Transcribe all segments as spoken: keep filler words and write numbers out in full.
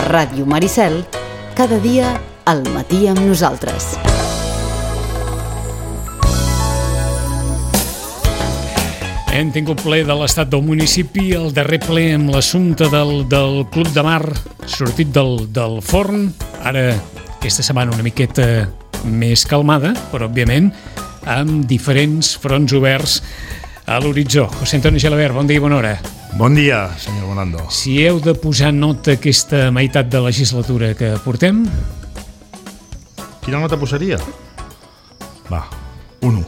Ràdio Maricel, cada dia al matí amb nosaltres. Hem tingut ple de l'estat del municipi, el darrer ple amb l'assumpte del, del Club de Mar sortit del, del forn. Ara, aquesta setmana una miqueta més calmada, però òbviament amb diferents fronts oberts a l'horitzó. José Antonio Gelabert, bon dia i bona hora. Bon dia, senyor Bonando. Si heu de posar nota aquesta meitat de legislatura que portem... Quina nota posaria? Va, un u.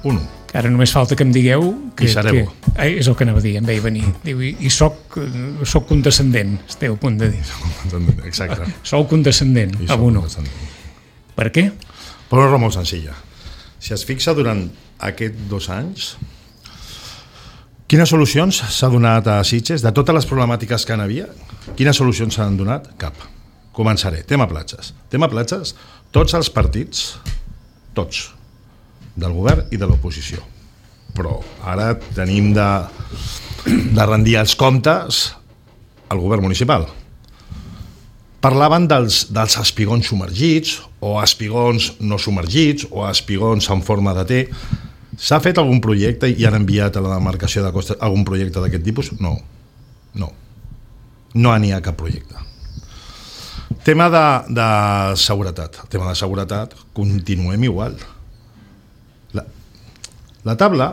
Un u. Ara només falta que em digueu... Que, I seré que, bo. eh, és el que anava a dir, em veia venir. Diu, i, i soc, soc condescendent, esteu a punt de dir. Exacte. Sou condescendent, I a soc uno. condescendent. Per què? Per una raó molt senzilla. Si es fixa durant aquests dos anys, quines solucions s'ha donat a Sitges? De totes les problemàtiques que hi havia, quines solucions s'han donat? Cap. Començaré. Tema platges. Tema platges, tots els partits, tots, del govern i de l'oposició. Però ara tenim de, de rendir els comptes al govern municipal. Parlaven dels, dels espigons submergits o espigons no submergits o espigons en forma de T. S'ha fet algun projecte i han enviat a la demarcació de Costa algun projecte d'aquest tipus? No. No. No n'hi ha cap projecte. Tema de, de seguretat. El tema de seguretat, continuem igual. La, la taula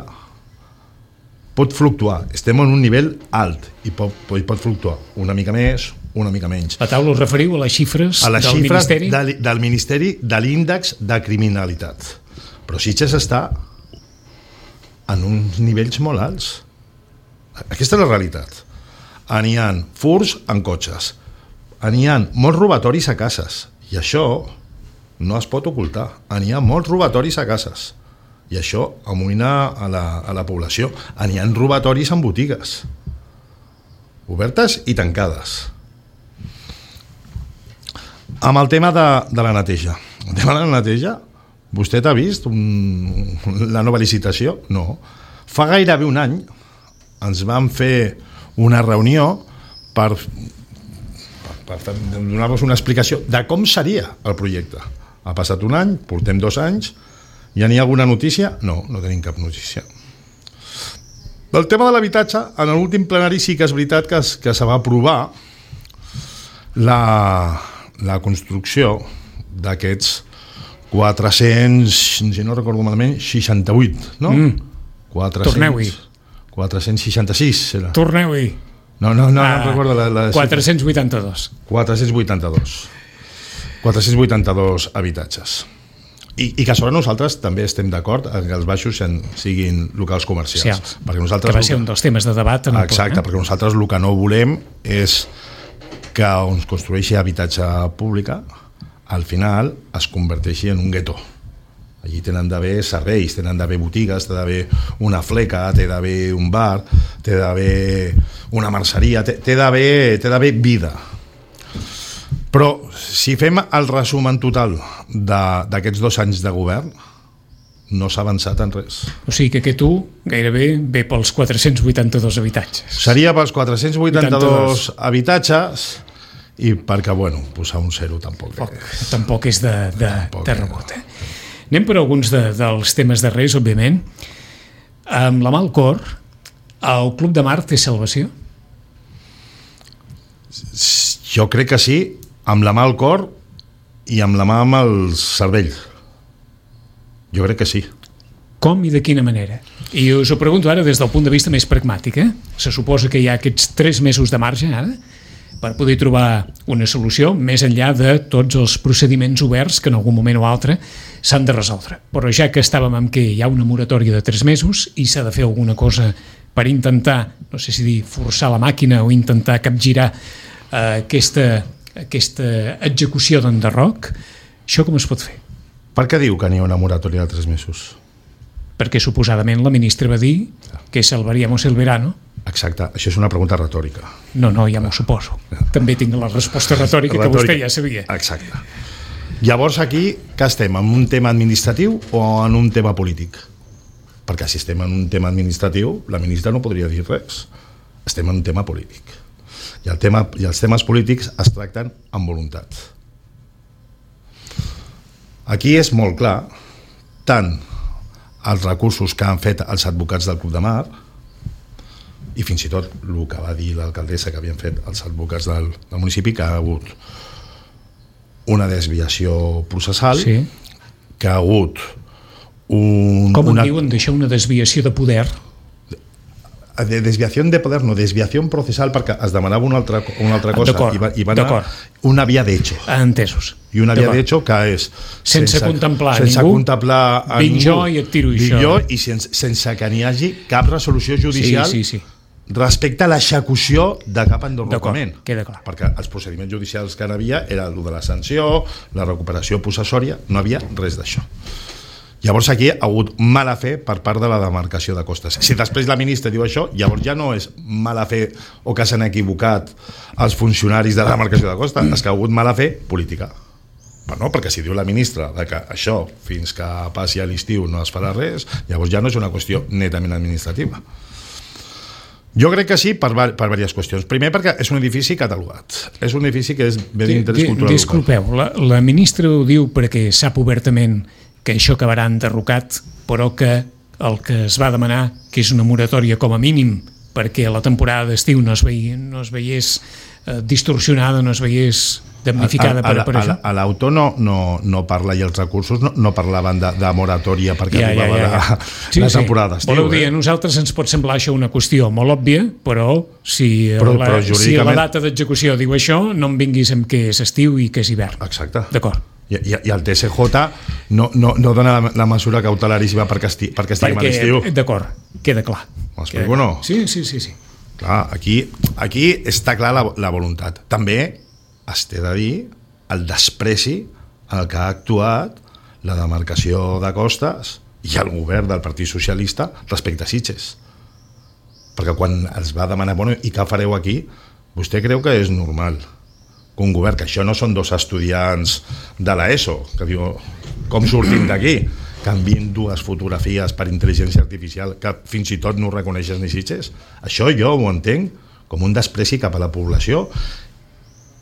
pot fluctuar. Estem en un nivell alt i pot, pot, pot fluctuar una mica més, una mica menys. La taula us referiu a les xifres, a les del xifres Ministeri? De, del Ministeri de l'índex de criminalitat. Però Sitges està en uns nivells molt alts. Aquesta és la realitat. N'hi ha furts en cotxes, n'hi ha molts robatoris a cases, i això no es pot ocultar. N'hi ha molts robatoris a cases, i això amoïna a la, a la població. N'hi ha robatoris en botigues, obertes i tancades. Amb el tema de, de la neteja. El tema de la neteja, vostè t'ha vist un, la nova licitació? No. Fa gairebé un any ens vam fer una reunió per, per, per donar-vos una explicació de com seria el projecte. Ha passat un any, portem dos anys, ja n'hi ha alguna notícia? No, no tenim cap notícia. Del tema de l'habitatge, en l'últim plenari sí que és veritat que, es, que se va aprovar la... la construcció d'aquests quatre-cents, si no recordo malament, seixanta-vuit, no? Mm. quatre-cents, Torneu-hi. quatre-cents seixanta-sis, era. Torneu-hi. No, no, no, Ah, no recordo la, la quatre-cents vuitanta-dos. quatre-cents vuitanta-dos. quatre-cents vuitanta-dos habitatges. I, i que sobre nosaltres també estem d'acord que els baixos siguin locals comercials. Socials. Perquè nosaltres, que va ser un dels temes de debat en el exacte, ple, eh? perquè nosaltres el que no volem és que on es construeixi habitatge pública al final es converteixi en un gueto. Allí tenen d'haver serveis, tenen d'haver botigues, té d'haver una fleca, té d'haver un bar, té d'haver una merceria, té, té d'haver té d'haver vida. Però si fem el resum en total d'aquests dos anys de govern, no s'ha avançat en res. O sigui que aquest u gairebé ve pels quatre-cents vuitanta-dos habitatges. Seria pels quatre-cents vuitanta-dos habitatges i perquè, bueno, posar un zero tampoc. Poc, tampoc és de, de, Tampoc, de rebot. Eh? Anem per alguns de, dels temes darrers, òbviament. Amb la mà al cor, el Club de Mar té salvació? Jo crec que sí, amb la mà al cor i amb la mà amb el cervell. Jo crec que sí. Com i de quina manera? I us ho pregunto ara des del punt de vista més pragmàtic. Eh? Se suposa que hi ha aquests tres mesos de marge ara per poder trobar una solució més enllà de tots els procediments oberts que en algun moment o altre s'han de resoldre. Però ja que estàvem amb que hi ha una moratòria de tres mesos i s'ha de fer alguna cosa per intentar, no sé si dir forçar la màquina o intentar capgirar eh, aquesta, aquesta execució d'enderroc, això com es pot fer? Per què diu que n'hi ha una moratòria de tres mesos? Perquè suposadament la ministra va dir que salvaríamos el verano. Exacte, això és una pregunta retòrica. No, no, ja m'ho suposo. També tinc la resposta retòrica, retòrica que vostè ja sabia. Exacte. Llavors aquí, que estem, en un tema administratiu o en un tema polític? Perquè si estem en un tema administratiu, la ministra no podria dir res. Estem en un tema polític. I, el tema, i els temes polítics es tracten amb voluntat. Aquí és molt clar tant els recursos que han fet els advocats del Club de Mar i fins i tot el que va dir l'alcaldessa que havien fet els advocats del, del municipi, que ha hagut una desviació processal, sí. que ha hagut un... Com en una... diuen d'això, una desviació de poder? De desviació de poder, no, desviació processal, perquè es demanava una altra, una altra cosa i va, i va anar una via d'hecho. Entesos. I una via d'hecho que és sense, sense contemplar sense ningú, contemplar a vinc ningú, jo i et tiro això. Jo, i sense, sense que n'hi hagi cap resolució judicial sí, sí, sí. respecte a l'execució de cap enderrocament. Queda clar. Perquè els procediments judicials que hi havia era el de la sanció, la recuperació possessòria, no havia res d'això. Llavors aquí ha hagut mala fe per part de la demarcació de costes. Si després la ministra diu això, llavors ja no és mala fe o que s'han equivocat els funcionaris de la demarcació de costes, és que ha hagut mala fe política. Però no, perquè si diu la ministra que això fins que passi a l'estiu no es farà res, llavors ja no és una qüestió netament administrativa. Jo crec que sí per, per diverses qüestions. Primer perquè és un edifici catalogat. És un edifici que és bé d'interès cultural. Disculpeu, la, la ministra ho diu perquè sap obertament que això acabarà enderrocat, però que el que es va demanar, que és una moratòria com a mínim, perquè la temporada d'estiu no es veiés, no es veiés eh, distorsionada, no es veiés damnificada per, per això. A l'autor no, no, no parla i els recursos no, no parlaven de, de moratòria perquè ja, arribava ja, ja, ja. La, sí, la temporada d'estiu. Voleu dir, a nosaltres ens pot semblar això una qüestió molt òbvia, però si, però, la, però jurídicament... si la data d'execució diu això, no em vinguis amb què és estiu i què és hivern. Exacte. D'acord. I, i, i el T S J no, no, no dona la, la mesura cautelaríssima perquè, esti, perquè estiguem a l'estiu. D'acord, queda clar. M'explico o no? Sí, sí, sí, sí. Clar, aquí, aquí està clar la, la voluntat. També es té de dir el despreci en el que ha actuat la demarcació de costes i el govern del Partit Socialista respecte a Sitges. Perquè quan els va demanar, bueno, i què fareu aquí? Vostè creu que és normal que un govern, que això no són dos estudiants de l'ESO, que diu, com sortim d'aquí? Que envien dues fotografies per intel·ligència artificial que fins i tot no reconeixes ni Sitges? Això jo ho entenc com un despreci cap a la població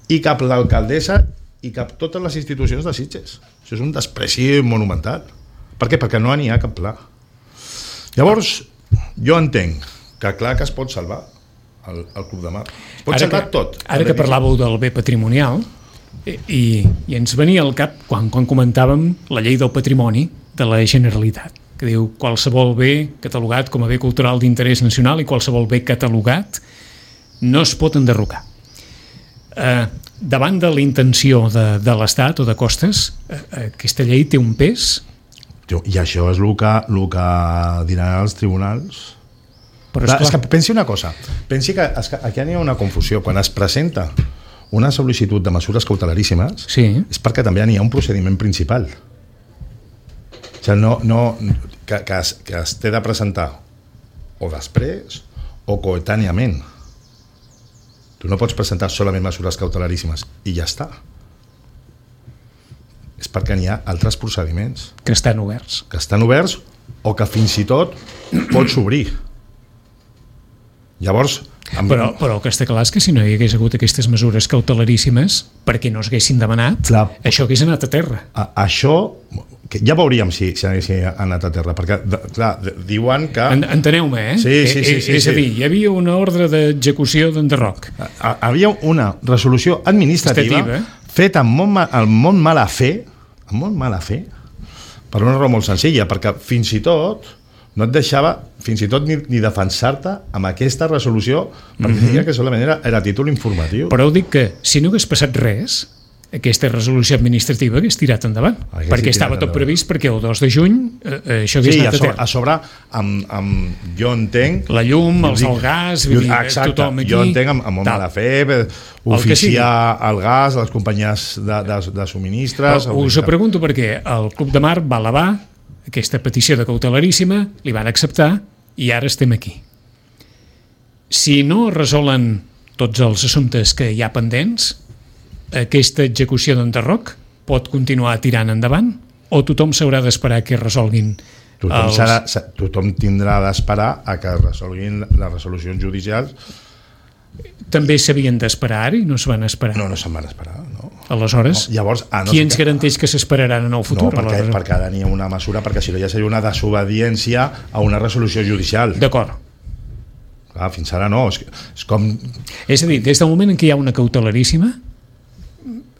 i cap a l'alcaldessa i cap a totes les institucions de Sitges. Això és un despreci monumental. Per què? Perquè no n'hi ha cap pla. Llavors, jo entenc que clar que es pot salvar el, el Club de Mar. Es pot ara salvar que, tot. Ara que parlàveu del bé patrimonial, i, i ens venia al cap quan, quan comentàvem la llei del patrimoni de la Generalitat, que diu qualsevol bé catalogat com a bé cultural d'interès nacional i qualsevol bé catalogat no es pot enderrocar. Eh, davant de la intenció de, de l'Estat o de Costes, eh, aquesta llei té un pes? I això és el que, el que diran els tribunals. Però és, és que pensi una cosa, pensi que, és que aquí hi ha una confusió. Quan es presenta una sol·licitud de mesures cautelaríssimes, sí, és perquè també hi ha un procediment principal. O sigui, no, no, que, que, es, que es té de presentar o després o coetàniament. Tu no pots presentar solament mesures cautelaríssimes i ja està. És perquè n'hi ha altres procediments. Que estan oberts. Que estan oberts o que fins i tot pots obrir. Llavors... Amb... Però, però el que està clar és que si no hi hagués hagut aquestes mesures cautelaríssimes perquè no es haguessin demanat, clar, això hagués anat a terra. A, això, que ja veuríem si, si hagués anat a terra, perquè, clar, diuen que... En, enteneu-me, eh? Sí, sí, sí, sí, és a dir, hi havia una ordre d'execució d'enderroc. Hi havia una resolució administrativa Estativa. feta amb molt, amb molt mala fe, amb molt mala fe, per una raó molt senzilla, perquè fins i tot no et deixava fins i tot ni, ni defensar-te amb aquesta resolució perquè mm-hmm. deia que solament era, era títol informatiu. Però dic que si no hagués passat res, aquesta resolució administrativa hagués tirat endavant, hagués perquè estava tot endavant. Previst perquè el dos de juny eh, això hagués sí, anat a, a terra. A sobre, amb, amb, jo entenc... La llum, els dic, el gas, jo, exacte, tothom aquí... Jo entenc amb, amb molt mala fe, oficiar el, el gas a les companyies de, de, de subministres... Però us ho pregunto perquè el Club de Mar va elevar aquesta petició de cautelaríssima, li van acceptar i ara estem aquí. Si no resolen tots els assumptes que hi ha pendents, aquesta execució d'enderroc pot continuar tirant endavant o tothom s'haurà d'esperar que resolguin tothom, els... serà, tothom tindrà d'esperar a que resolguin les resolucions judicials també s'havien d'esperar i no es van esperar. No, no se'n van esperar, no. Aleshores, no, llavors, ah, no qui sé ens que... garanteix que s'esperaran en el futur? No, perquè, perquè ara n'hi ha una mesura, perquè si no ja seria una desobediència a una resolució judicial. D'acord. Clar, fins ara no, és, és com... És a dir, des del moment en què hi ha una cautelaríssima,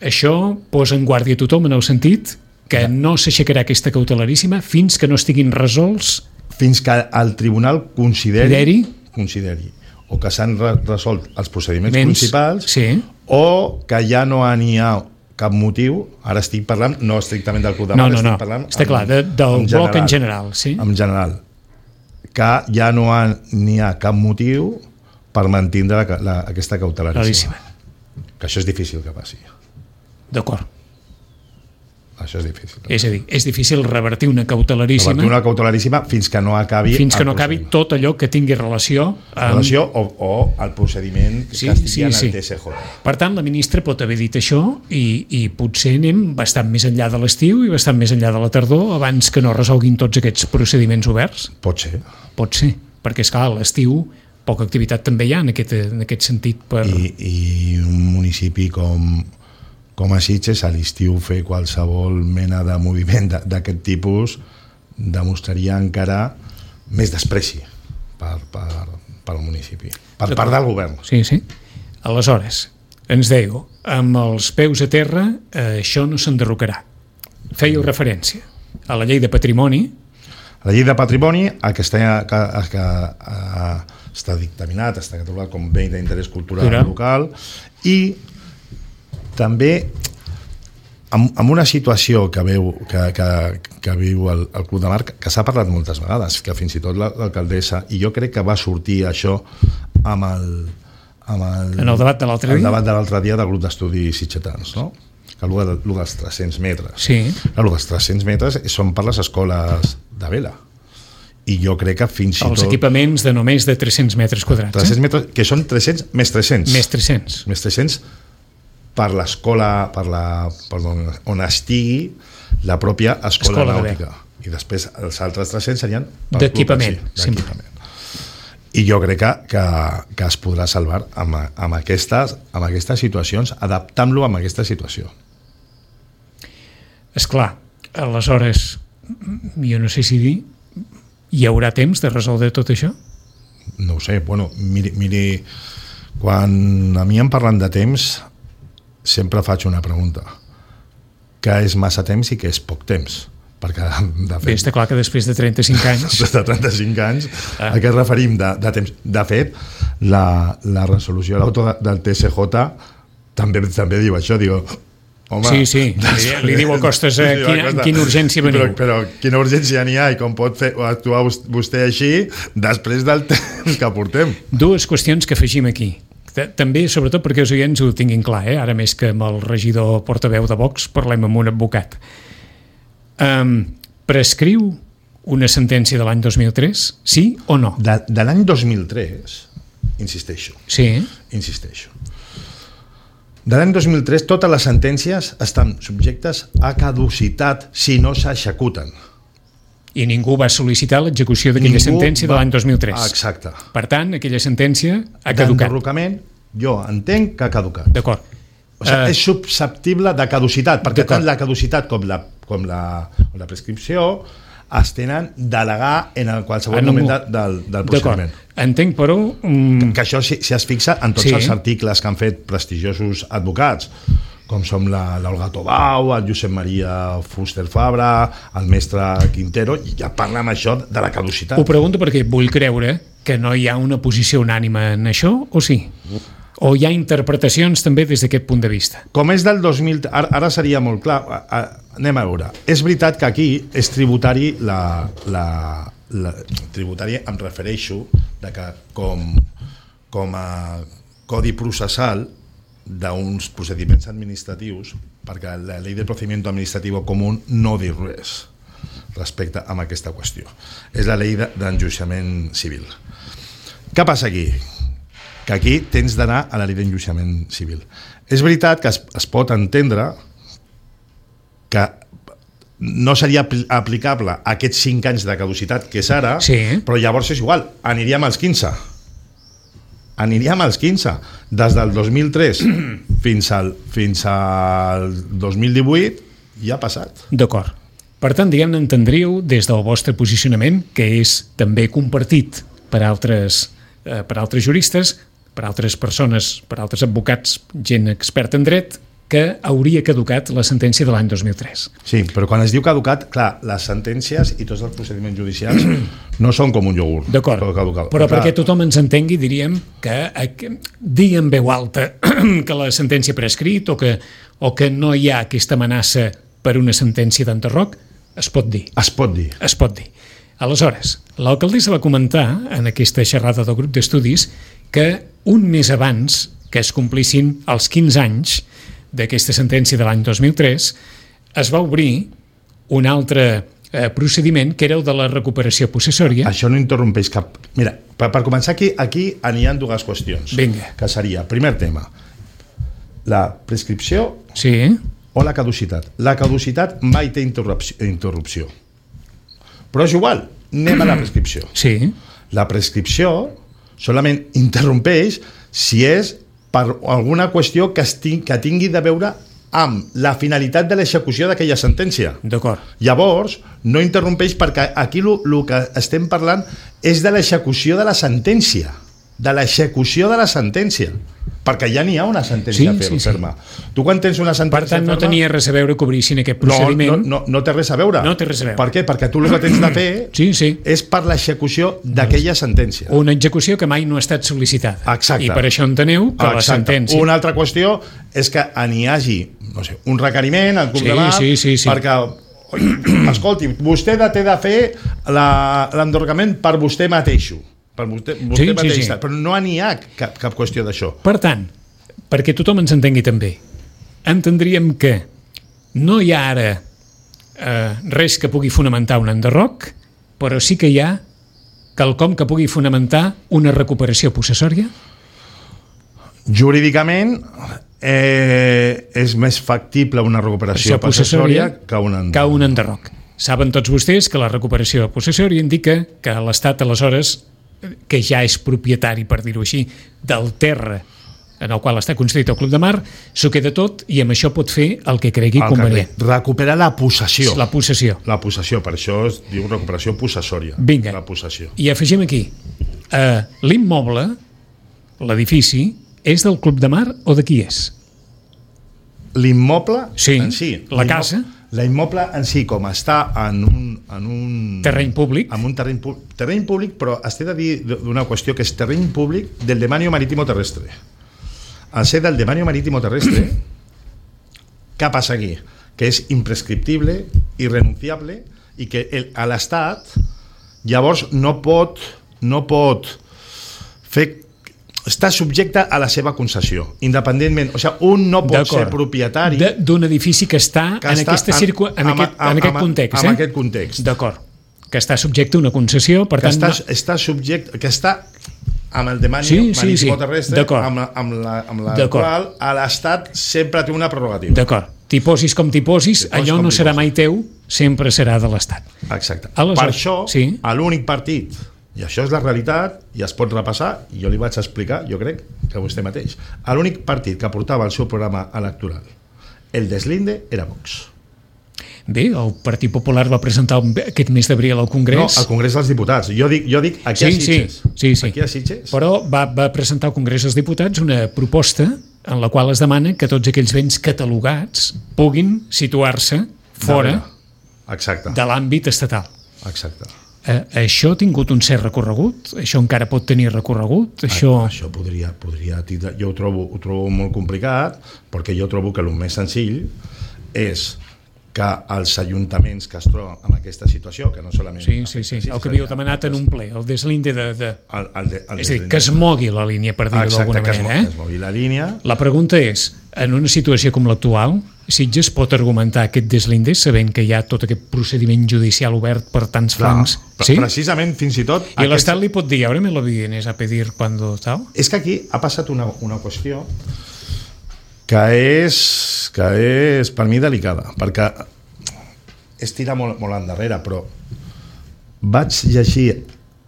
això posa en guàrdia tothom en el sentit que no s'aixecarà aquesta cautelaríssima fins que no estiguin resolts... Fins que el tribunal consideri... Consideri? Consideri. O que s'han re resolt els procediments Mens, principals, sí. O que ja no n'hi ha cap motiu, ara estic parlant, no estrictament del Club de Mar, no, no, estic no. parlant... Està clar, de, del en bloc en general, sí. En general. Que ja no n'hi ha, ha cap motiu per mantindre la, la, aquesta cautelaríssima. Que això és difícil que passi. D'acord. Això és difícil. És a dir, és difícil revertir una cautelaríssima... Revertir una cautelaríssima fins que no acabi... Fins que no acabi tot allò que tingui relació... Amb... Relació o, o el procediment sí, que estigui sí, en sí. el T S J. Per tant, la ministra pot haver dit això i, i potser anem bastant més enllà de l'estiu i bastant més enllà de la tardor abans que no resolguin tots aquests procediments oberts? Pot ser. Pot ser, perquè, esclar, a l'estiu poca activitat també hi ha en aquest, en aquest sentit. Per... I, I un municipi com... com a Sitges, a l'estiu fer qualsevol mena de moviment d'aquest tipus demostraria encara més despreci per, per, per al municipi, per part del govern. Sí, sí. Aleshores, ens dèieu, amb els peus a terra, eh, això no s'enderrocarà. Fèieu referència a la llei de patrimoni. A la llei de patrimoni, el que està, que, que, eh, està dictaminat, està catalogat com bé d'interès cultural Cultural. local, i també amb, amb una situació que veu que, que, que viu el, el Club de Mar, que s'ha parlat moltes vegades, que fins i tot l'alcaldessa, i jo crec que va sortir això amb el, amb el, en el debat de l'altre dia, el debat de l'altre dia del grup d'estudis sitgetans, no? Que el dels tres-cents metres. Sí. El dels tres-cents metres són per les escoles de vela. I jo crec que fins i tot... Els equipaments de només de tres-cents metres quadrats. tres-cents metres, que són tres-cents més tres-cents. Més tres-cents. Més tres-cents per l'escola, per la, per on estigui la pròpia escola, escola nàutica. I després els altres tres-cents serien d'equipament. I jo crec que, que, que es podrà salvar amb, amb, aquestes, amb aquestes situacions, adaptant-lo a aquesta situació. Esclar, aleshores, jo no sé si dir, hi haurà temps de resoldre tot això? No ho sé, bueno, miri, miri quan a mi em parlen de temps, sempre faig una pregunta. Què és massa temps i què és poc temps? Perquè, de fet... Bé, està clar que després de trenta-cinc anys... Després de trenta-cinc anys, ah. a què ens referim de, de temps? De fet, la, la resolució de l'auto del T S J també, també diu això, diu... Home, sí, sí, després, li, li diu a Costes eh, quina, Costa, quina urgència veniu. Però, però quina urgència n'hi ha i com pot fer, actuar vostè així després del temps que portem? Dues qüestions que afegim aquí. També, sobretot perquè els oients ho tinguin clar, eh? Ara més que amb el regidor portaveu de Vox parlem amb un advocat. Um, prescriu una sentència de l'any dos mil tres, sí o no? De, de l'any dos mil tres, insisteixo. Sí. Insisteixo. De l'any dos mil tres totes les sentències estan subjectes a caducitat si no s'executen. I ningú va sol·licitar l'execució d'aquella sentència va... de l'any dos mil tres. Exacte. Per tant, aquella sentència ha caducat. D'enderrocament, jo entenc que ha caducat. D'acord. O sigui, uh... és susceptible de caducitat, perquè tant la caducitat com la, com la, com la prescripció es tenen delegar en el qualsevol en moment de, del, del procediment. Entenc, però... Um... Que, que això si, si es fixa en tots sí. els articles que han fet prestigiosos advocats, com som l'Olga Tobau, el Josep Maria Fuster Fabra, el mestre Quintero, i ja parla amb això de la caducitat. Ho pregunto perquè vull creure que no hi ha una posició unànime en això, o sí? O hi ha interpretacions també des d'aquest punt de vista? Com és del dos mil... Ara, ara seria molt clar. Anem a veure. És veritat que aquí és tributari la... la, la tributari em refereixo de que com, com a codi processal d'uns procediments administratius, perquè la llei de procedimiento administrativo común no diu res respecte a aquesta qüestió. És la llei d'enjudiciament civil. Què passa aquí? Que aquí tens d'anar a la llei d'enjudiciament civil. És veritat que es, es pot entendre que no seria aplicable a aquests cinc anys de caducitat que és ara, sí. però llavors és igual, aniríem als quinze. aniríem als quinze. Des del dos mil tres fins al, fins al dos mil divuit ja ha passat. D'acord. Per tant, diguem-ne, entendríeu des del vostre posicionament, que és també compartit per altres, eh, per altres juristes, per altres persones, per altres advocats, gent experta en dret, que hauria caducat la sentència de l'any dos mil tres. Sí, però quan es diu caducat, clar, les sentències i tots els procediments judicials no són com un iogurt. D'acord, Caducat. però clar, perquè tothom ens entengui, diríem que, que dir en veu alta que la sentència ha prescrit o que, o que no hi ha aquesta amenaça per una sentència d'enderroc, es pot dir. Es pot dir. Es pot dir. Aleshores, l'alcaldessa va comentar en aquesta xerrada del grup d'estudis que un mes abans que es complissin els quinze anys d'aquesta sentència de l'any dos mil tres, es va obrir un altre eh, procediment que era el de la recuperació possessòria. Això no interrompeix cap... Mira, per, per començar aquí, aquí n'hi ha dues qüestions. Vinga. Que seria, primer tema, la prescripció Sí, o la caducitat. La caducitat mai té interrupció. interrupció. Però és igual, anem a la prescripció. sí, La prescripció solament interrompeix si és per alguna qüestió que, esting, que tingui de veure amb la finalitat de l'execució d'aquella sentència. d'acord. Llavors, no interrompeix perquè aquí el que estem parlant és de l'execució de la sentència. De l'execució de la sentència. Perquè ja n'hi ha una sentència Sí, fer, sí, sí. ferma. Tu quan tens una sentència Per tant, no ferma, tenia res a veure que obrissin aquest no, procediment. no, no, no té res a veure. No té res a veure. Per què? Perquè tu el que tens de fer Sí, sí. és per l'execució d'aquella sentència. Una execució que mai no ha estat sol·licitada. Exacte. I per això enteneu que la Exacte. sentència... Una altra qüestió és que n'hi hagi, no sé, un requeriment al Club Sí, de Mar sí, sí, sí. perquè, oi, escolti, vostè té de fer la- l'endorgament per vostè mateixo. Per vostè, vostè Sí, sí, mateix, sí. però no n'hi ha cap, cap qüestió d'això. Per tant, perquè tothom ens entengui també, entendríem que no hi ha ara eh, res que pugui fonamentar un enderroc, però sí que hi ha quelcom que pugui fonamentar una recuperació possessòria? Jurídicament eh, és més factible una recuperació possessòria que un enderroc. que un enderroc. Saben tots vostès que la recuperació possessòria indica que l'Estat aleshores, que ja és propietari, per dir-ho així, del terra en el qual està construït el Club de Mar, s'ho queda tot i amb això pot fer el que cregui El convenient. que recuperar la possessió. La possessió. La possessió, per això es diu recuperació possessòria. Vinga. La possessió. I afegim aquí, eh, l'immoble, l'edifici, és del Club de Mar o de qui és? L'immoble Sí, en si. la l'immo- casa. L'immoble en si, com està en un... En un Terreny públic. En un terreny, pu- terreny públic, però es té de dir d'una qüestió que és terreny públic del demanio marítimo terrestre. Al ser del demanio marítimo terrestre, què passa aquí? Que és imprescriptible, irrenunciable, i que el, a l'Estat llavors no pot, no pot fer està subjecte a la seva concessió, independentment, o sigui, un no pot D'acord. ser propietari De- d'un edifici que està que en, està aquesta circu... en, amb- aquest, amb- en aquest amb- context. amb eh? aquest context. D'acord. Que està subjecte a una concessió, per que tant... està, no... està subjecte, que està amb el demani Sí, sí, marítimo sí. terrestre, D'acord. amb la, amb la, amb la D'acord. qual a l'Estat sempre té una prerrogativa. D'acord. T'hi posis com t'hi posis, T'hi posis allò com no t'hi serà posis. mai teu, sempre serà de l'Estat. Exacte. Aleshores, per això, sí. a l'únic partit, i això és la realitat, i es pot repassar, i jo li vaig explicar, jo crec que vostè mateix, a l'únic partit que portava el seu programa electoral, el deslinde, era Vox. Bé, el Partit Popular va presentar aquest mes d'abril al Congrés... No, al Congrés dels Diputats. Jo dic, jo dic aquí sí, a Sitges. Sí, sí, sí. Aquí a Sitges. Però va, va presentar al Congrés dels Diputats una proposta en la qual es demana que tots aquells béns catalogats puguin situar-se fora Exacte. de l'àmbit estatal. Exacte. Eh, això ha tingut un cert recorregut? Això encara pot tenir recorregut? Això... Això podria, podria tindre... Jo ho trobo, ho trobo molt complicat, perquè jo trobo que el més senzill és que els ajuntaments que es troben en aquesta situació, que no solament... Sí, sí, sí, el que havíeu demanat en un ple, el deslinde de... de... El, el de, el És a dir, que es mogui la línia, per dir-ho d'alguna Exacte, que es, manera. mo- Eh? que es mogui la línia. La pregunta és, en una situació com l'actual, Sitges pot argumentar aquest deslinde sabent que hi ha tot aquest procediment judicial obert per tants Clar, flancs? pre- Sí? Precisament, fins i tot... I l'Estat li pot dir, ahora me lo vienes a pedir cuando tal? És que aquí ha passat una, una qüestió que és, que és per mi delicada, perquè és tirar molt, molt endarrere, però vaig llegir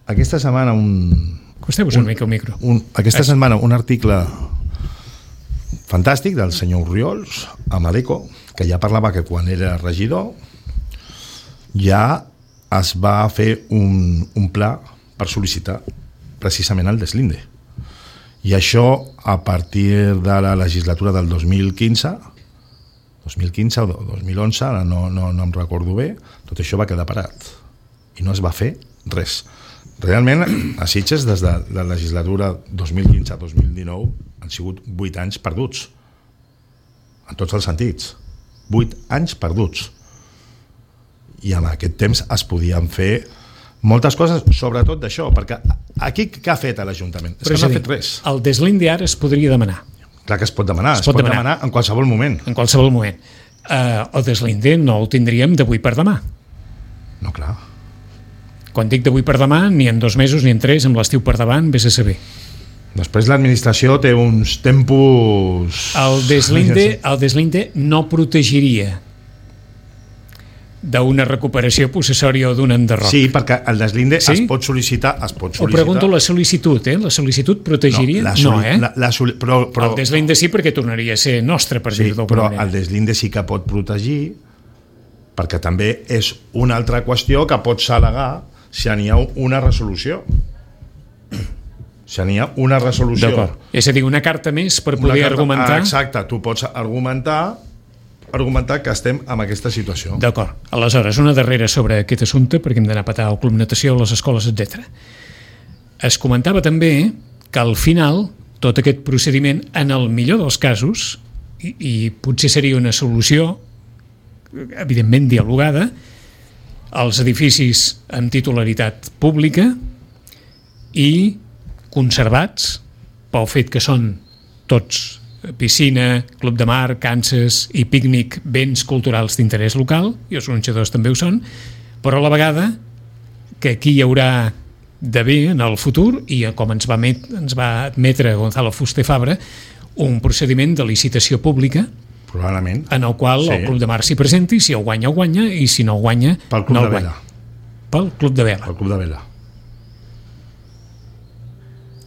aquesta setmana un, Acosteu-vos una mica al micro. Un, aquesta Es... setmana un article fantàstic del senyor Orriols a Madeco, que ja parlava que quan era regidor ja es va fer un, un pla per sol·licitar precisament el deslinde. I això, a partir de la legislatura del dos mil quinze, dos mil quinze o dos mil onze, ara no, no, no em recordo bé, tot això va quedar parat. I no es va fer res. Realment, a Sitges, des de la legislatura dos mil quinze a dos mil dinou, han sigut vuit anys perduts. En tots els sentits. Vuit anys perduts. I en aquest temps es podien fer moltes coses, sobretot d'això, perquè aquí què ha fet l'Ajuntament? És que no ha fet res. El deslinde ara es podria demanar. Clar que es pot demanar, es, es pot, pot demanar. demanar en qualsevol moment. En qualsevol moment. Uh, el deslinde no el tindríem d'avui per demà. No, clar. Quan dic d'avui per demà, ni en dos mesos ni en tres, amb l'estiu per davant, vés a saber. Després l'administració té uns tempos... El deslinde, el deslinde no protegiria d'una recuperació possessòria o d'un enderroc. Sí, perquè el deslinde sí? es pot sol·licitar... Es pot sol·licitar. O pregunto la sol·licitud, eh? La sol·licitud protegiria? No, la no eh? La, la soli... però, però... El deslinde sí, perquè tornaria a ser nostre, per sí, dir-ho d'alguna però manera. el deslinde sí que pot protegir, perquè també és una altra qüestió que pots al·legar si n'hi ha una resolució. Si n'hi ha una resolució. D'acord. És a dir, una carta més per poder carta, argumentar... Exacte, tu pots argumentar argumentar que estem en aquesta situació. D'acord. Aleshores, una darrera sobre aquest assumpte, perquè hem d'anar a petar al Club Natació, a les escoles, etcètera. Es comentava també que al final tot aquest procediment, en el millor dels casos, i, i potser seria una solució, evidentment dialogada, als edificis amb titularitat pública i conservats pel fet que són tots piscina, club de mar, Kansas i pícnic, béns culturals d'interès local, i els gronxadors també ho són, però a la vegada que aquí hi haurà d'haver en el futur, i com ens va, met, ens va admetre Gonzalo Fuster Fabra, un procediment de licitació pública probablement, en el qual sí. El Club de Mar s'hi presenti, si el guanya, el guanya, i si no el guanya, pel Club no el de guanya. Vela. Pel Club de Vela. Pel Club de Vela.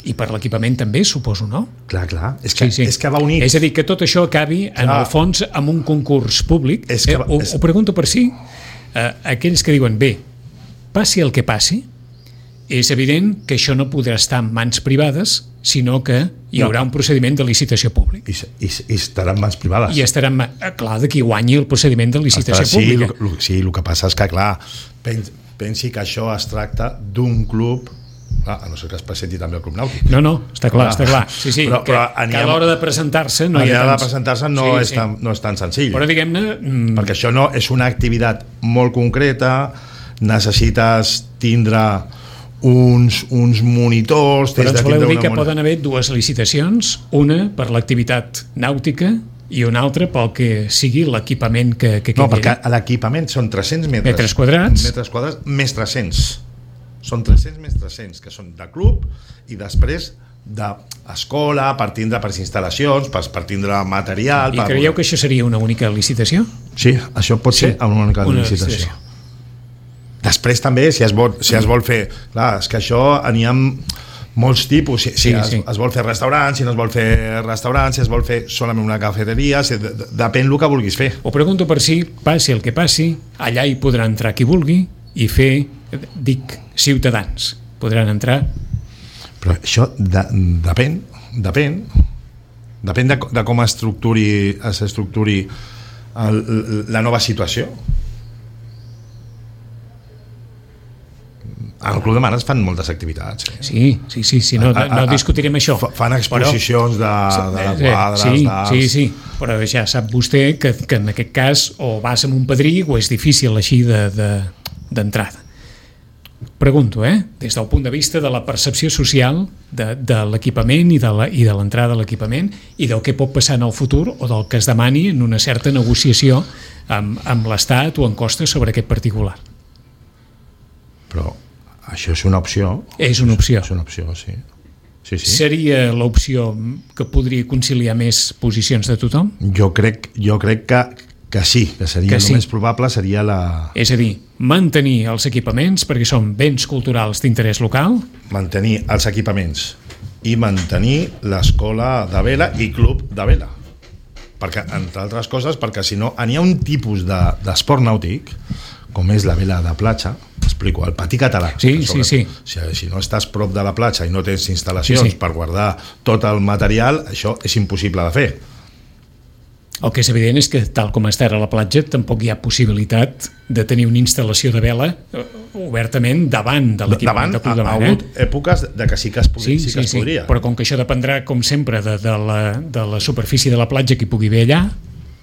I per l'equipament també, suposo, no? Clar, clar. És que, sí, sí. És que va unit. És a dir, que tot això acabi, clar. En el fons, amb un concurs públic. És que, eh, ho, és... ho pregunto per si eh, aquells que diuen, bé, passi el que passi, és evident que això no podrà estar en mans privades, sinó que hi haurà no. un procediment de licitació públic. I, i, i estarà en mans privades. I estarà en mans... Clar, de qui guanyi el procediment de licitació estarà, pública. Sí, lo, sí, el que passa és que, clar, pens, pensi que això es tracta d'un club... Ah, a no ser que es presenti també el Club Nàutic. No, no, està clar, està clar. Sí, sí, però, que, però que a l'hora de presentar-se no hi ha tants... de presentar-se no, sí, és tan, no és tan senzill. Però diguem-ne... Mm... Perquè això no és una activitat molt concreta, necessites tindre uns, uns monitors... Però ens voleu dir que mon... poden haver dues licitacions, una per l'activitat nàutica i una altra pel que sigui l'equipament que, que quedi. No, perquè l'equipament són tres-cents metres, metres quadrats, metres quadrats més tres-cents. Són tres-cents més tres-cents, que són de club i després d'escola, per tindre per instal·lacions, per, per tindre material... I per... creieu que això seria una única licitació? Sí, això pot sí? ser una única una licitació. licitació. Després també, si es vol, si es vol fer... Clar, és que això n'hi ha molts tipus, si, si sí, es, sí. es vol fer restaurants, si no es vol fer restaurants, si es vol fer solament una cafeteria, si, depèn del que vulguis fer. Ho pregunto per si, passi el que passi, allà hi podrà entrar qui vulgui i fer, dic, ciutadans. Podran entrar... Però això de, depèn, depèn, depèn de, de com estructuri, s'estructuri el, la nova situació. Al Club de Mar es fan moltes activitats. Eh? Sí, sí, sí, sí no, no discutirem això. Fan exposicions però, de, de quadres, sí, d'arts... Sí, sí, però ja sap vostè que, que en aquest cas o vas amb un padrí o és difícil així d'entrada. De, de, Pregunto, eh? Des del punt de vista de la percepció social de, de l'equipament i de l'entrada a l'equipament i del que pot passar en el futur o del que es demani en una certa negociació amb, amb l'Estat o en costes sobre aquest particular. Però això és una opció. És una opció. És una opció, sí. Sí, sí. Seria l'opció que podria conciliar més posicions de tothom? Jo crec, jo crec que, que sí, que seria que el sí. més probable seria la... És a dir, mantenir els equipaments perquè són béns culturals d'interès local. Mantenir els equipaments i mantenir l'escola de vela i club de vela. Perquè, entre altres coses, perquè si no, n'hi ha un tipus de, d'esport nàutic, com és la vela de platja, explico, el patí català. Sí, sí, sí. Si, si no estàs prop de la platja i no tens instal·lacions sí, sí. per guardar tot el material, això és impossible de fer. El que és evident és que, tal com està ara la platja, tampoc hi ha possibilitat de tenir una instal·lació de vela obertament davant de l'equipament de club de mar. Davant, ha hagut eh? èpoques de que sí que es, podria, sí, sí, sí que es podria. Sí, però com que això dependrà, com sempre, de, de, la, de la superfície de la platja que hi pugui haver allà.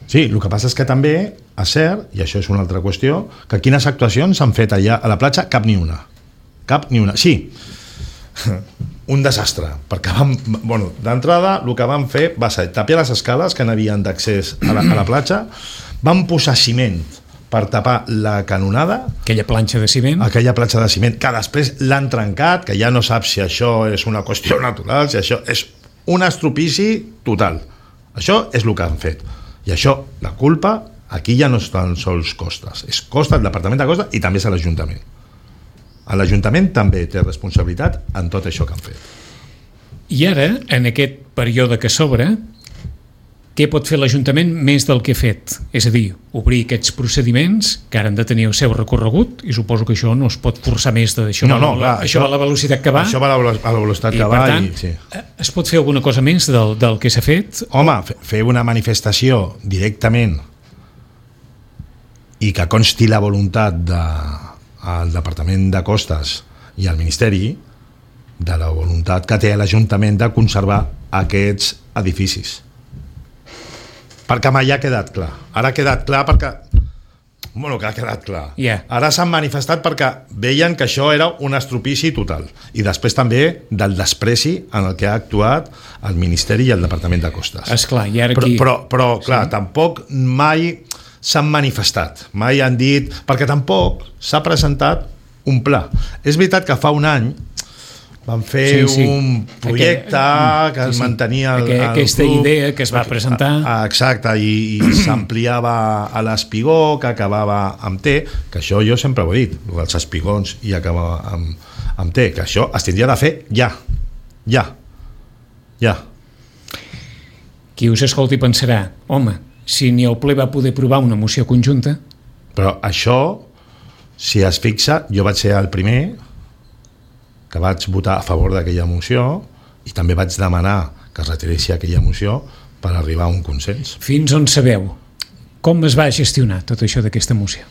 Sí, el que passa és que també, és cert, i això és una altra qüestió, que quines actuacions s'han fet allà a la platja? Cap ni una. Cap ni una. Sí, un desastre, perquè vam, bueno, d'entrada el que vam fer va ser tapiar les escales que n'havien d'accés a la, a la platja, vam posar ciment per tapar la canonada, aquella planxa de ciment, aquella planxa de ciment que després l'han trencat, que ja no saps si això és una qüestió natural, si això és un estropici total. Això és el que han fet, i això, la culpa aquí ja no és tan sols Costes, és Costes, el Departament de Costes, i també és l'Ajuntament. L'Ajuntament també té responsabilitat en tot això que han fet. I ara, en aquest període que s'obre, què pot fer l'Ajuntament més del que ha fet? És a dir, obrir aquests procediments que ara han de tenir el seu recorregut, i suposo que això no es pot forçar més d'això. No, no, clar, això va a la velocitat que va. Això va a la, a la velocitat i, que va. Per tant, i, sí. es pot fer alguna cosa més del, del que s'ha fet? Home, fer una manifestació directament i que consti la voluntat de al Departament de Costes i al Ministeri de la voluntat que té l'Ajuntament de conservar aquests edificis, perquè mai ha quedat clar. Ara ha quedat clar perquè bueno, que ha quedat clar yeah. Ara s'han manifestat perquè veien que això era un estropici total, i després també del despreci en el que ha actuat el Ministeri i el Departament de Costes. Esclar, i ara però, aquí... però, però clar, sí. tampoc mai s'han manifestat, mai han dit, perquè tampoc s'ha presentat un pla. És veritat que fa un any van fer sí, sí. un projecte Aquell, que es sí, sí. mantenia el, Aquell, el aquesta club, idea que es va presentar exacte, i, i s'ampliava a l'espigó, que acabava amb T, que això jo sempre ho he dit, els espigons i acabava amb, amb T, que això es tindria de fer ja ja ja qui us escolti pensarà, home, si ni el ple va poder aprovar una moció conjunta. Però això, si es fixa, jo vaig ser el primer que vaig votar a favor d'aquella moció, i també vaig demanar que es retiressi aquella moció per arribar a un consens. Fins on sabeu? Com es va gestionar tot això d'aquesta moció?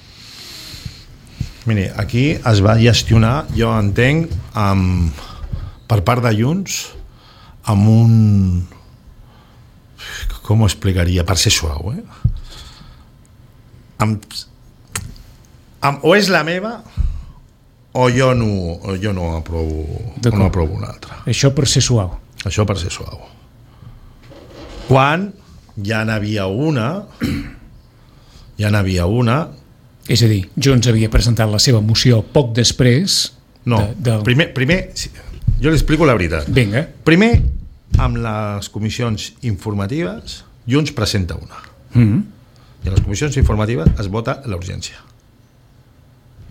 Miri, aquí es va gestionar, jo entenc, amb, per part de Junts, amb un... com ho explicaria, per ser suau, eh? Amb, amb, o és la meva o jo no, o jo no aprovo, o no aprovo una altra. Això per ser suau. Això per ser suau. Quan ja n'havia una, ja n'havia una... És a dir, Junts havia presentat la seva moció poc després... No, de, del... primer, primer, jo li explico la veritat. Vinga. Primer, amb les comissions informatives, Junts presenta una. Mm-hmm. I a les comissions informatives es vota la urgència.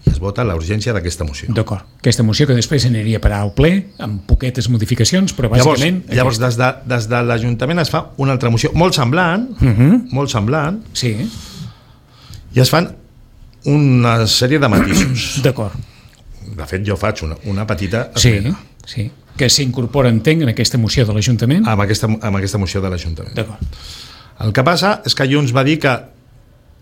I es vota la urgència d'aquesta moció. D'acord. Aquesta moció que després aniria a parar al ple, amb poquetes modificacions, però bàsicament... Llavors, llavors des, de, des de l'Ajuntament es fa una altra moció molt semblant, mm-hmm. molt semblant, sí. I es fan una sèrie de matisos. D'acord. De fet, jo faig una, una petita esmena. Sí, sí. Que s'incorpora, entenc, en aquesta moció de l'Ajuntament? Amb aquesta, amb aquesta moció de l'Ajuntament. D'acord. El que passa és que Junts va dir que,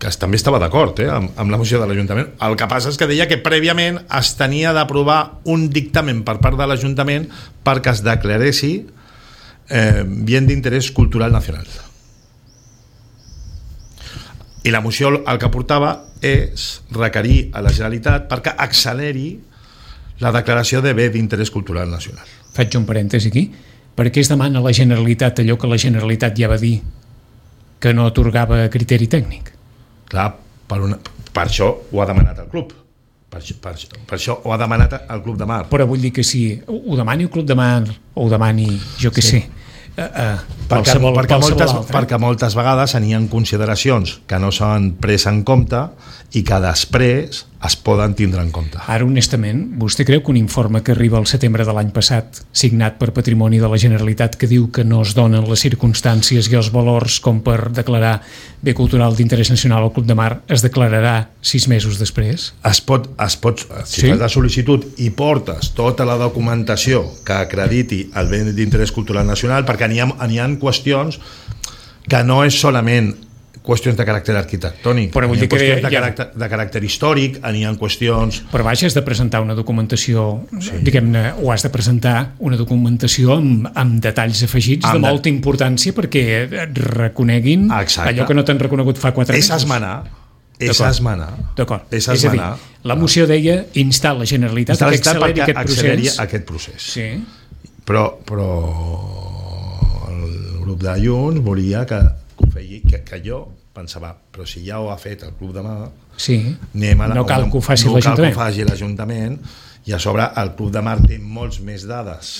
que també estava d'acord eh, amb, amb la moció de l'Ajuntament. El que passa és que deia que prèviament es tenia d'aprovar un dictamen per part de l'Ajuntament perquè es declaressi eh, bien d'interès cultural nacional. I la moció el que portava és requerir a la Generalitat perquè acceleri la declaració de bé d'interès cultural nacional. Faig un parèntesi aquí. Per què es demana a la Generalitat allò que la Generalitat ja va dir que no atorgava criteri tècnic? Clar, per, una, per això ho ha demanat el club. Per, per, per això ho ha demanat el Club de Mar. Però vull dir que si ho demani el Club de Mar o ho demani, jo què sí. sé, Uh, uh, perquè, qualsevol, perquè, qualsevol moltes, altre. perquè moltes vegades n'hi ha consideracions que no s'han pres en compte i que després es poden tindre en compte. Ara, honestament, vostè creu que un informe que arriba al setembre de l'any passat, signat per Patrimoni de la Generalitat, que diu que no es donen les circumstàncies i els valors com per declarar bé cultural d'interès nacional al Club de Mar, es declararà sis mesos després? Es pot, es pot, si Sí? fas la sol·licitud i portes tota la documentació que acrediti el bé d'interès cultural nacional, perquè n'hi ha, n'hi ha qüestions que no és solament qüestions de caràcter arquitectònic, Però vull n'hi ha dir que qüestions de, ja- caràcter, de caràcter històric, n'hi ha qüestions... Però vaja, has de presentar una documentació, sí. diguem-ne, o has de presentar una documentació amb, amb detalls afegits Amb de de- molta importància perquè et reconeguin Exacte. allò que no t'han reconegut fa quatre És mesos. esmenar, és D'acord. esmenar. D'acord. És És a dir, esmenar. la moció deia instar la Generalitat Està que l'estat acceleri perquè aquest acceleri procés. aquest procés. Sí. Però, però el grup de Junts volia que, que, ho feia, que, que jo pensava, però si ja ho ha fet el Club de Mar, Sí. anem a la, No cal que ho faci no cal que l'Ajuntament. ho faci l'Ajuntament, i a sobre el Club de Mar té molts més dades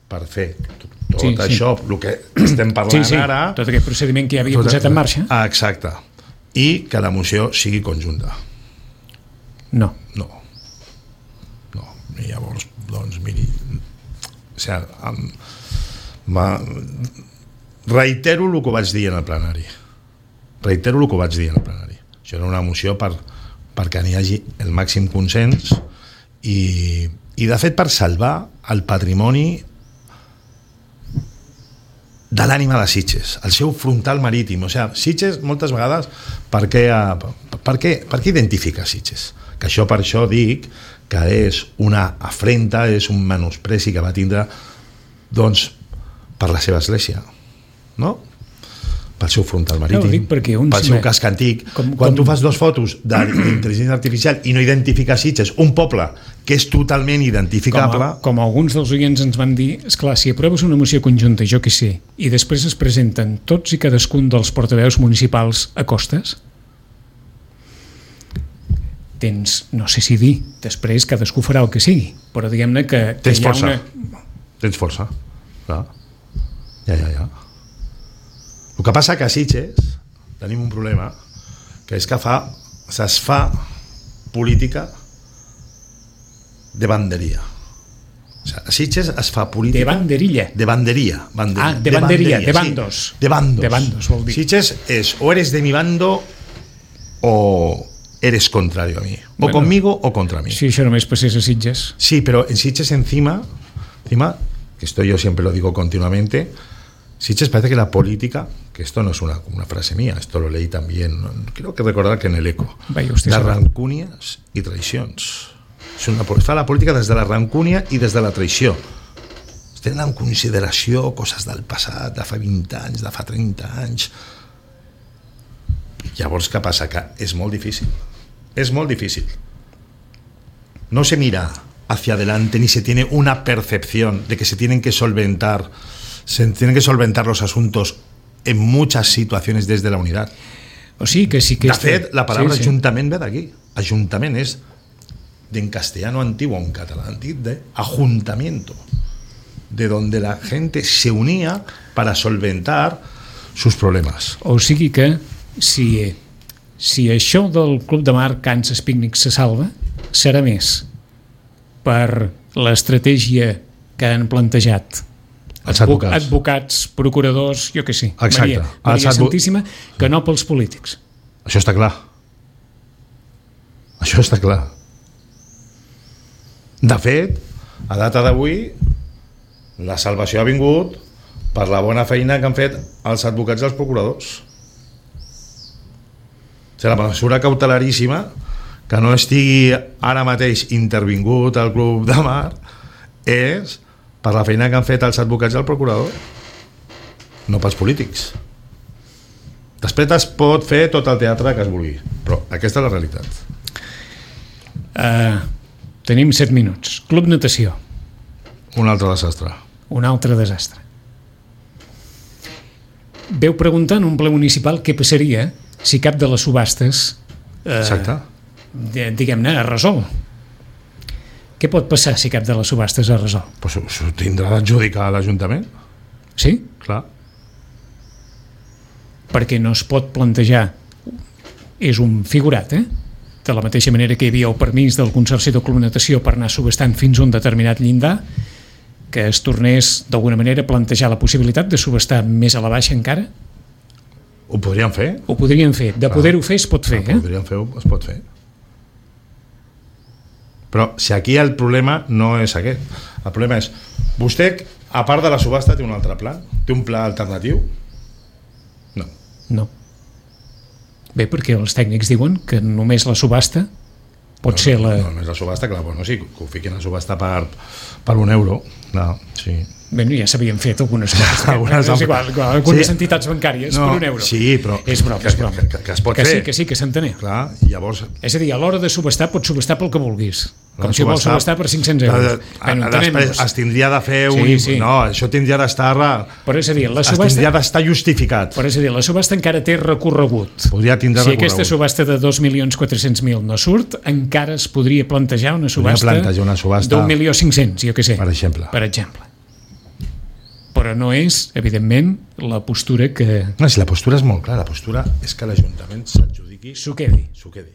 per fer tot, tot Sí, sí. això, el que estem parlant Sí, sí, ara, tot aquest procediment que ja havia tot- posat en marxa. Ah, exacte, i que la moció sigui conjunta. No. No. No. I llavors, doncs, miri, o sigui, em, ma, reitero el que vaig dir en el plenari. Reitero el que vaig dir en el plenari. Això era una moció per, perquè n'hi hagi el màxim consens i, i de fet, per salvar el patrimoni de l'ànima de Sitges, el seu frontal marítim. O sigui, Sitges, moltes vegades, per què, per què, per què identifica Sitges? Que això, per això dic que és una afrenta, és un menospreci que va tindre, doncs, per la seva església, no? Pel seu frontal marítim, No, ho dic perquè un pel se seu me- casc antic. com- Quan com- tu fas dos fotos d'intel·ligència artificial i no identifiques Sitges, un poble que és totalment Com, identificable, a, com alguns dels oients ens van dir, esclar, si aproves una moció conjunta, jo què sé, i després es presenten tots i cadascun dels portaveus municipals a costes, tens, no sé si dir, després cadascú farà el que sigui, però diguem-ne que, que tens hi ha força. una... Tens força. Clar. Ja, ja, ja. El que passa que a Sitges tenim un problema, que és que fa, es fa política de banderia. O sigui, a Sitges es fa política... De banderilla. De banderia. banderia Ah, de banderia, de sí. bandos. De bandos. De bandos, vol dir. Sitges és o eres de mi bando o eres contrario a mí. O Bueno, conmigo o contra mí. Si això només passés a Sitges. Sí, pero en Sitges encima, encima, que esto yo siempre lo digo continuamente, Sitges parece que la política, que esto no es una, una frase mía, esto lo leí también, no, creo que recordar que en el ECO, Vaya usted de sabe. rancúnies i traicions. És una, es fa la política des de la rancúnia i des de la traïció. Es tenen en consideració coses del passat, de fa vint anys, de fa trenta anys. Llavors, què passa? Que és molt difícil. Es molt difícil. No se mira hacia adelante ni se tiene una percepción de que se tienen que solventar se tienen que solventar los asuntos en muchas situaciones desde la unidad. O sigui que sí que... De fet, la paraula sí, sí. ajuntament ve d'aquí. Ajuntament és en castellano antiguo, en català antic, de ajuntamiento, de donde la gente se unía para solventar sus problemas. O sigui que si, si això del Club de Mar Kansas Picnic se salva, serà més per l'estratègia que han plantejat Els advocats. advocats, procuradors, jo què sé, Exacte. Maria, Maria Els advo- Santíssima, que no pels polítics. Això està clar. Això està clar. De fet, a data d'avui, la salvació ha vingut per la bona feina que han fet els advocats i els procuradors. O sigui, la mesura cautelaríssima, que no estigui ara mateix intervingut al Club de Mar, és per la feina que han fet els advocats i el procurador, no pels polítics. Després es pot fer tot el teatre que es vulgui, però aquesta és la realitat. Uh, tenim set minuts. Club Natació, Un altre desastre. un altre desastre. Veu preguntar en un ple municipal què passaria si cap de les subhastes eh, Exacte. de- diguem-ne, es resol. Què pot passar si cap de les subhastes es resol? Pues s'ho tindrà d'adjudicar a l'Ajuntament. Sí? Clar. Perquè no es pot plantejar, és un figurat, eh? De la mateixa manera que hi havia el permís del Consorci de Club Natació per anar subestant fins a un determinat llindar, que es tornés d'alguna manera a plantejar la possibilitat de subestar més a la baixa encara? Ho podríem fer? Ho podrien fer. De poder-ho fer es pot fer, eh? Ho podríem fer, es pot fer. Però si aquí el problema no és aquest. El problema és, vostè, a part de la subhasta, té un altre pla? Té un pla alternatiu? No. No. Bé, perquè els tècnics diuen que només la subhasta pot no, ser la... No, només la subhasta, clar, bueno, sí, que ho fiquin a subhasta per, per un euro. No, sí. Bé, ja s'havien fet algunes coses. algunes, és igual, algunes sí. entitats bancàries no, per un euro. Sí, però... És broma, és broma. Que, que, que es pot que fer. Sí, que sí, que s'entenia. Clar, i llavors... És a dir, a l'hora de subestar, pots subestar pel que vulguis. Com si vols subestar per cinc-cents euros. Bueno, després es tindria de fer un... Sí, sí. No, això tindria d'estar... Però és a dir, la subhasta... Es tindria d'estar justificat. Però és a dir, la subhasta encara té recorregut. Podria tindre si recorregut. Aquesta subhasta de dos milions quatre-cents mil no surt, encara es podria plantejar una subhasta, una subhasta... d'un milió cinc-cents, jo què sé. Per exemple. Per exemple. Però no és, evidentment, la postura que... No, si la postura és molt clara, la postura és que l'Ajuntament s'adjudiqui... S'ho quedi. S'ho quedi.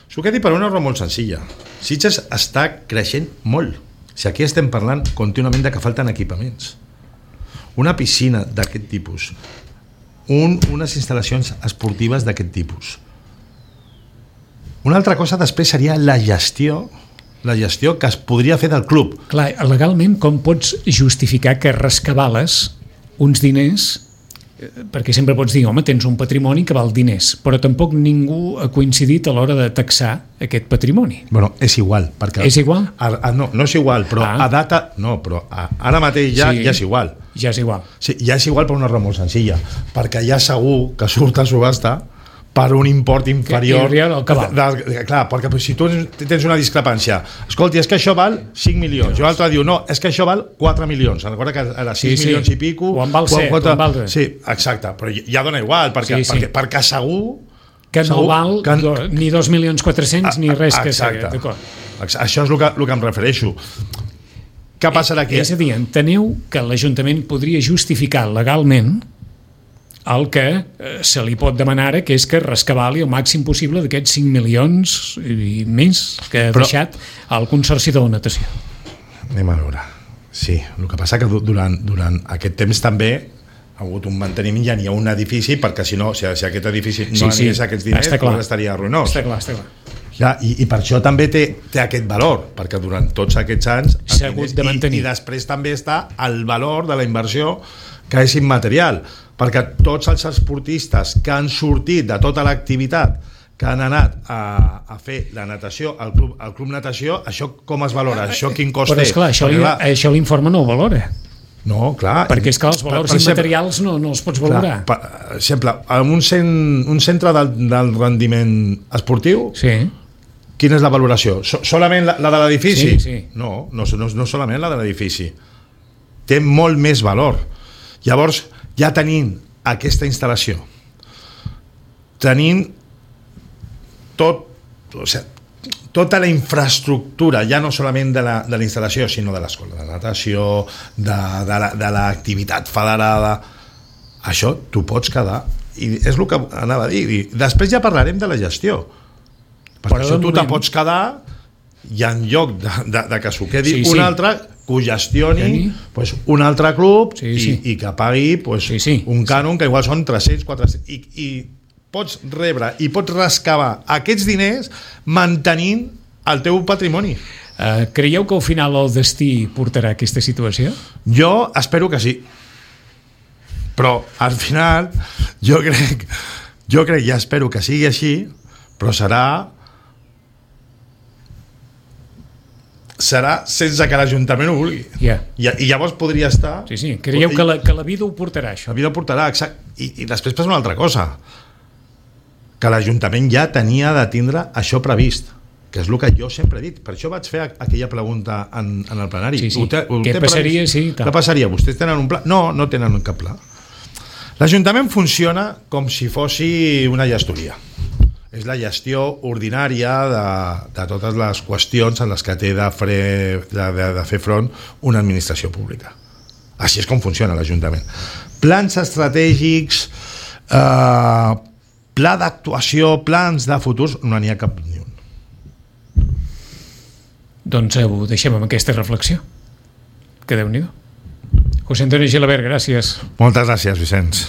S'ho quedi per una raó molt senzilla. Sitges està creixent molt. Si aquí estem parlant contínuament de que falten equipaments. Una piscina d'aquest tipus, un, unes instal·lacions esportives d'aquest tipus. Una altra cosa després seria la gestió la gestió que es podria fer del club. Clar, legalment com pots justificar que rescabales uns diners, perquè sempre pots dir, home, tens un patrimoni que val diners, però tampoc ningú ha coincidit a l'hora de taxar aquest patrimoni. Bueno, és igual. Perquè és igual? A, a, no, no és igual, però ah. a data... No, però a, ara mateix ja, sí, ja és igual. Ja és igual. Sí, ja és igual per una raó molt senzilla, perquè ja segur que surt a subhasta per un import inferior al cabal. De, de, clar, perquè si tu tens una discrepància, escolti, és que això val cinc milions, i l'altre diu, no, és que això val quatre milions, recorda que era sis sí, milions sí. i pico, o en val set, o en val res. Sí, exacte, però ja dona igual, perquè, sí, sí. perquè, perquè segur que no segur val que... Do, ni dos milions quatre-cents ni res que sigui. Això és el que, el que em refereixo. Què passarà aquí? És a dir, enteneu que l'Ajuntament podria justificar legalment el que se li pot demanar ara, que és que rescabali el màxim possible d'aquests cinc milions i més que ha Però... deixat al Consorci de la Natació. Anem a veure. Sí, el que passa que durant, durant aquest temps també ha hagut un manteniment, ja n'hi ha un edifici, perquè si no, si, si aquest edifici no sí, anés sí. aquests diners, doncs estaria ruïnós. Està clar, està clar. Ja, i, i per això també té, té aquest valor, perquè durant tots aquests anys s'ha hagut de mantenir. I, i després també està el valor de la inversió, que és immaterial, perquè tots els esportistes que han sortit de tota l'activitat, que han anat a, a fer la natació, al club, al club natació, això com es valora? Això quin cost té? Però esclar, això, li, això l'informe no ho valora. No, clar. Perquè és que els valors per, per immaterials exemple, no, no els pots valorar. Clar, per exemple, en un, cent, un centre del, del rendiment esportiu, sí. quina és la valoració? So, solament la, la de l'edifici? Sí, sí. No, no, no, no solament la de l'edifici. Té molt més valor. Llavors, ja tenim aquesta instal·lació, tenim tot, o sigui, tota la infraestructura, ja no solament de la, de la instal·lació, sinó de l'escola de natació, de, de l'activitat federada, això t'ho pots quedar, i és el que anava a dir. I després ja parlarem de la gestió, perquè Però això tu te pots quedar i en lloc de, de, de que s'ho quedi sí, un sí. altre, que ho gestioni pues, un altre club sí, sí. I, i que pagui pues, sí, sí. un cànon que igual són tres-cents, quatre-cents i, i pots rebre i pots rescabar aquests diners mantenint el teu patrimoni. Uh, creieu que al final el destí portarà aquesta situació? Jo espero que sí, però al final jo crec jo crec i espero que sigui així, però serà serà sense que l'Ajuntament ho vulgui. Yeah. I, I llavors podria estar... Sí, sí, creieu que la, que la vida ho portarà, això? La vida ho portarà, exacte. I, i després passa una altra cosa, que l'Ajuntament ja tenia de tindre això previst, que és el que jo sempre he dit. Per això vaig fer aquella pregunta en, en el plenari. Sí, sí. Ho té, ho Què té passaria? Sí, Què passaria? Vostès tenen un pla? No, no tenen cap pla. L'Ajuntament funciona com si fossi una gestoria. És la gestió ordinària de, de totes les qüestions en les que té de, fre, de, de, de fer front una administració pública. Així és com funciona l'Ajuntament. Plans estratègics, eh, pla d'actuació, plans de futurs, no n'hi ha cap ni un. Doncs ho deixem amb aquesta reflexió. Que Déu-n'hi-do. José Antonio Gilabert, gràcies. Moltes gràcies, Vicenç.